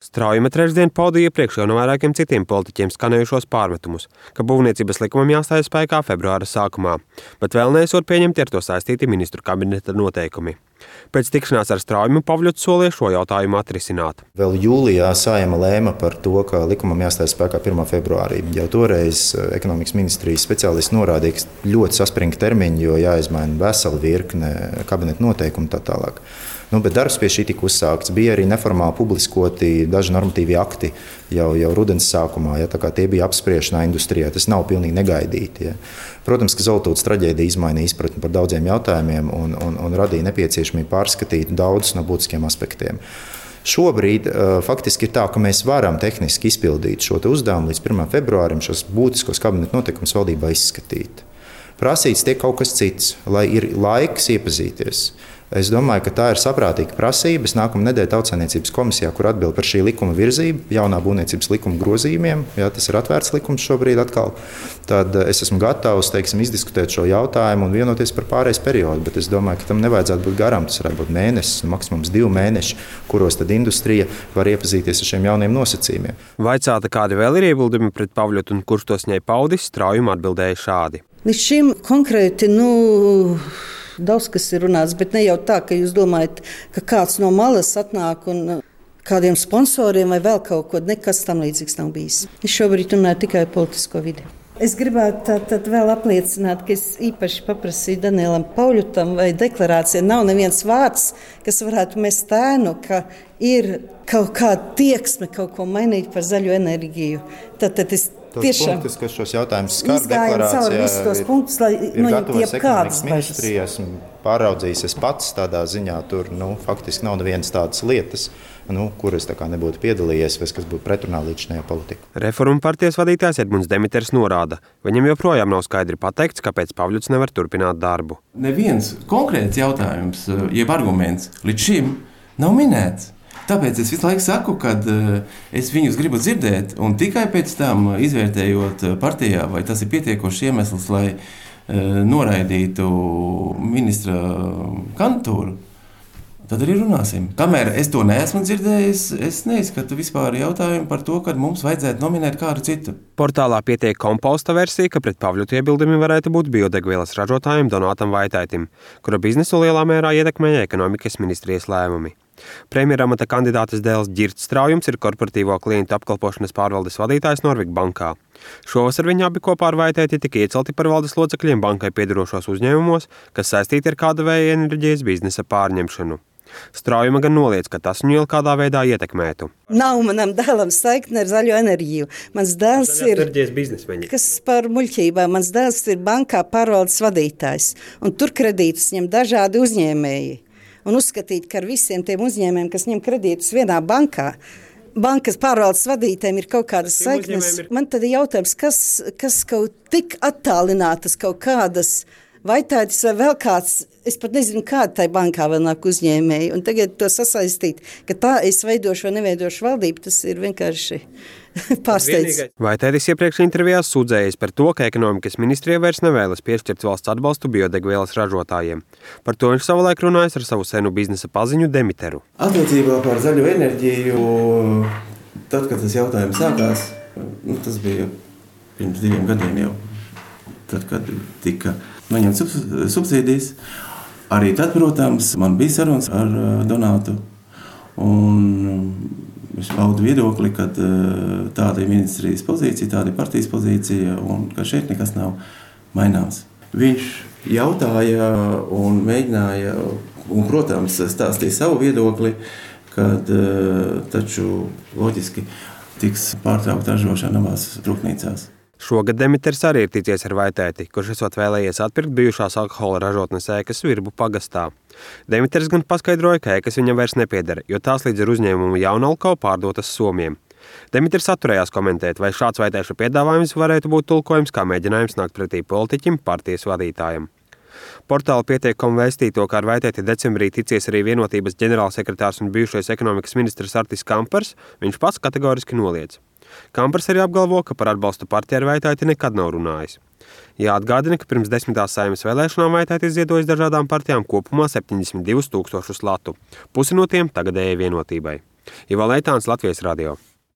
Straujuma trešdien pauda iepriekš jau no vairākiem citiem politiķiem skanējušos pārmetumus, ka būvniecības likumam jāstājas spēkā februāra sākumā, bet vēl neesot pieņemti ar to saistīti ministru kabineta noteikumi. Pēc tikšanās ar Straujumu Pavļuts solīja šo jautājumu atrisināt. Vēl jūlijā Saeima lēma par to, ka likumam jāstājas spēkā 1. februārī. Jau toreiz ekonomikas ministrijas speciālisti norādīja, ka ļoti saspringti termiņi, jo jāizmaina vesela virkne kabineta noteikumu tā tālāk. Bet darbs pie šī tika uzsākts. Bija arī neformāli publiskoti daži normatīvi akti jau rudens sākumā. Tā kā tie bija apspriešanā industrijā, tas nav pilnīgi negaidīti. Protams, ka Zoltūtas traģēdija izmainīja izpratni par daudziem jautājumiem un radīja nepieciešamību pārskatīt daudzus no būtiskiem aspektiem. Šobrīd faktiski ir tā, ka mēs varam tehniski izpildīt šo uzdevumu līdz 1. februārim šos būtiskos kabineta noteikumus valdībā izskatīt. Prasīts tiek kaut kas cits, lai ir laiks iepazīties. Es domāju, ka tā ir saprātīga prasība. Nākamā nedēļa Tautsaimniecības komisijā, kur atbild par šī likuma virzību, jaunā būvniecības likuma grozījumiem, tas ir atvērts likums šobrīd atkal, tad es esmu gatavs, izdiskutēt šo jautājumu un vienoties par pārejas periodu, bet es domāju, ka tam nevajadzētu būt garām. Tas varētu būt mēnesis, maksimums 2 mēneši, kuros tad industrija var iepazīties ar šiem jauniem nosacījumiem. Vaicāta, kādi vēl ir iebildumi pret Pavļotu un kurš tos ņēma paudis, Straujuma atbildēja šādi. Līdz šim konkrēti, daudz kas ir runāts, bet ne jau tā, ka jūs domājat, ka kāds no malas atnāk un kādiem sponsoriem vai vēl kaut ko, nekas tam līdzīgs nav bijis. Es šobrīd runāju tikai politisko vidi. Es gribētu tad vēl apliecināt, ka es īpaši paprasīju Danielam Pavļutam, vai deklarācijā nav neviens vārds, kas varētu mest ēnu, ka ir kaut kāda tieksme kaut ko mainīt par zaļo enerģiju. Tad es tiešām punktus, kas šos jautājumus skar deklarācijā, ir gatavs ekonomikas ministrija, esmu pāraudzījis es pats tādā ziņā, tur faktiski nav nevienas tādas lietas, kur es nebūtu piedalījies, vai kas būtu pretrunā līdzinājā politika. Reformu partijas vadītājs Edmunds Demiters norāda, viņam joprojām nav skaidri pateikts, kāpēc Pavļuts nevar turpināt darbu. Neviens konkrēts jautājums, jeb arguments līdz šim nav minēts. Tāpēc es visu laiku saku, ka es viņus gribu dzirdēt, un tikai pēc tam izvērtējot partijā, vai tas ir pietiekošs iemesls, lai noraidītu ministra kandidatūru, tad arī runāsim. Kamēr es to neesmu dzirdējis, es neizskatu vispār jautājumu par to, ka mums vajadzētu nominēt kādu citu. Portālā pietiek komposta versija, ka pret Pavļotu iebildumi varētu būt biodegvielas ražotājiem Donātam Vaitaitim, kura biznesu lielā mērā ietekmēja ekonomikas ministrijas lēmumi. Premjeramata kandidātes dēls Ģirts Straujums ir korporatīvo klientu apkalpošanas pārvaldes vadītājs Norvik bankā. Šovasar viņi abi kopā ar Vaitaiti tika iecelti par valdes locekļiem bankai piederošos uzņēmumos, kas saistīti ar kāda vēja enerģijas biznesa pārņemšanu. Straujuma gan noliedz, ka tas viņu kādā veidā ietekmētu. Nav manam dēlam saikne ar zaļo enerģiju. Mans dēls ir, kas par muļķībām, mans dēls ir bankā pārvaldes vadītājs, un tur kredītus ņem dažādi uzņēmēji. Un uzskatīt, ka ar visiem tiem uzņēmējiem, kas ņem kredītus vienā bankā, bankas pārvaldes vadītājiem ir kaut kādas saiknes. Man tad ir jautājums, kas kaut tik attālinātas kaut kādas Vaitaitis vai vēl kāds, es pat nezinu, kāda tai bankā vēl nāk uzņēmēji. Un tagad to sasaistīt, ka tā es veidošu vai neveidošu valdību, tas ir vienkārši pārsteidz. Vaitaitis iepriekš intervijās sūdzējies par to, ka ekonomikas ministrija vairs nevēlas piešķirt valsts atbalstu biodegvielas ražotājiem. Par to viņš savulaik runājis ar savu senu biznesa paziņu Demiteru. Attiecībā par zaļo enerģiju, tad, kad tas jautājums sākās, tas bija pirms 2 gadiem jau, tad, kad tika noņemt subsīdijas. Arī tad, protams, man bija sarunas ar Donātu, un es paudu viedokli, ka tāda ir ministrijas pozīcija, tāda ir partijas pozīcija, un ka šeit nekas nav maināms. Viņš jautāja un mēģināja, un, protams, stāstīja savu viedokli, kad taču loģiski tiks pārtraukta ražošana abās rūpnīcās. Šogad Demiters arī ir ticies ar Vaitaiti, kurš esot vēlējies atpirkt bijušās alkohola ražotnes ēkas Virbu pagastā. Demiters gan paskaidroja, ka ēkas viņam vairs nepieder, jo tās līdz ar uzņēmumu Jaunalko pārdotas Somiem. Demiters atturējās komentēt, vai šāds Vaitaiša piedāvājums varētu būt tulkojums kā mēģinājums nākt pretī politiķim, partijas vadītājam. Portāla pietiek.com vēstīja to, ka ar Vaitaiti decembrī ticies arī Vienotības ģenerālsekretārs un bijušais ekonomikas ministrs Artis Kampars, viņš pats kategoriski noliedz. Kampars arī apgalvo, ka par atbalstu partijai ar Vaitaiti nekad nav runājis. Jāatgādina, ka pirms 10. Saeimas vēlēšanām Vaitaitis ziedojas dažādām partijām kopumā 72 000 latu, pusi no tiem tagadējai Vienotībai. Ivo Leitāns, Latvijas radio.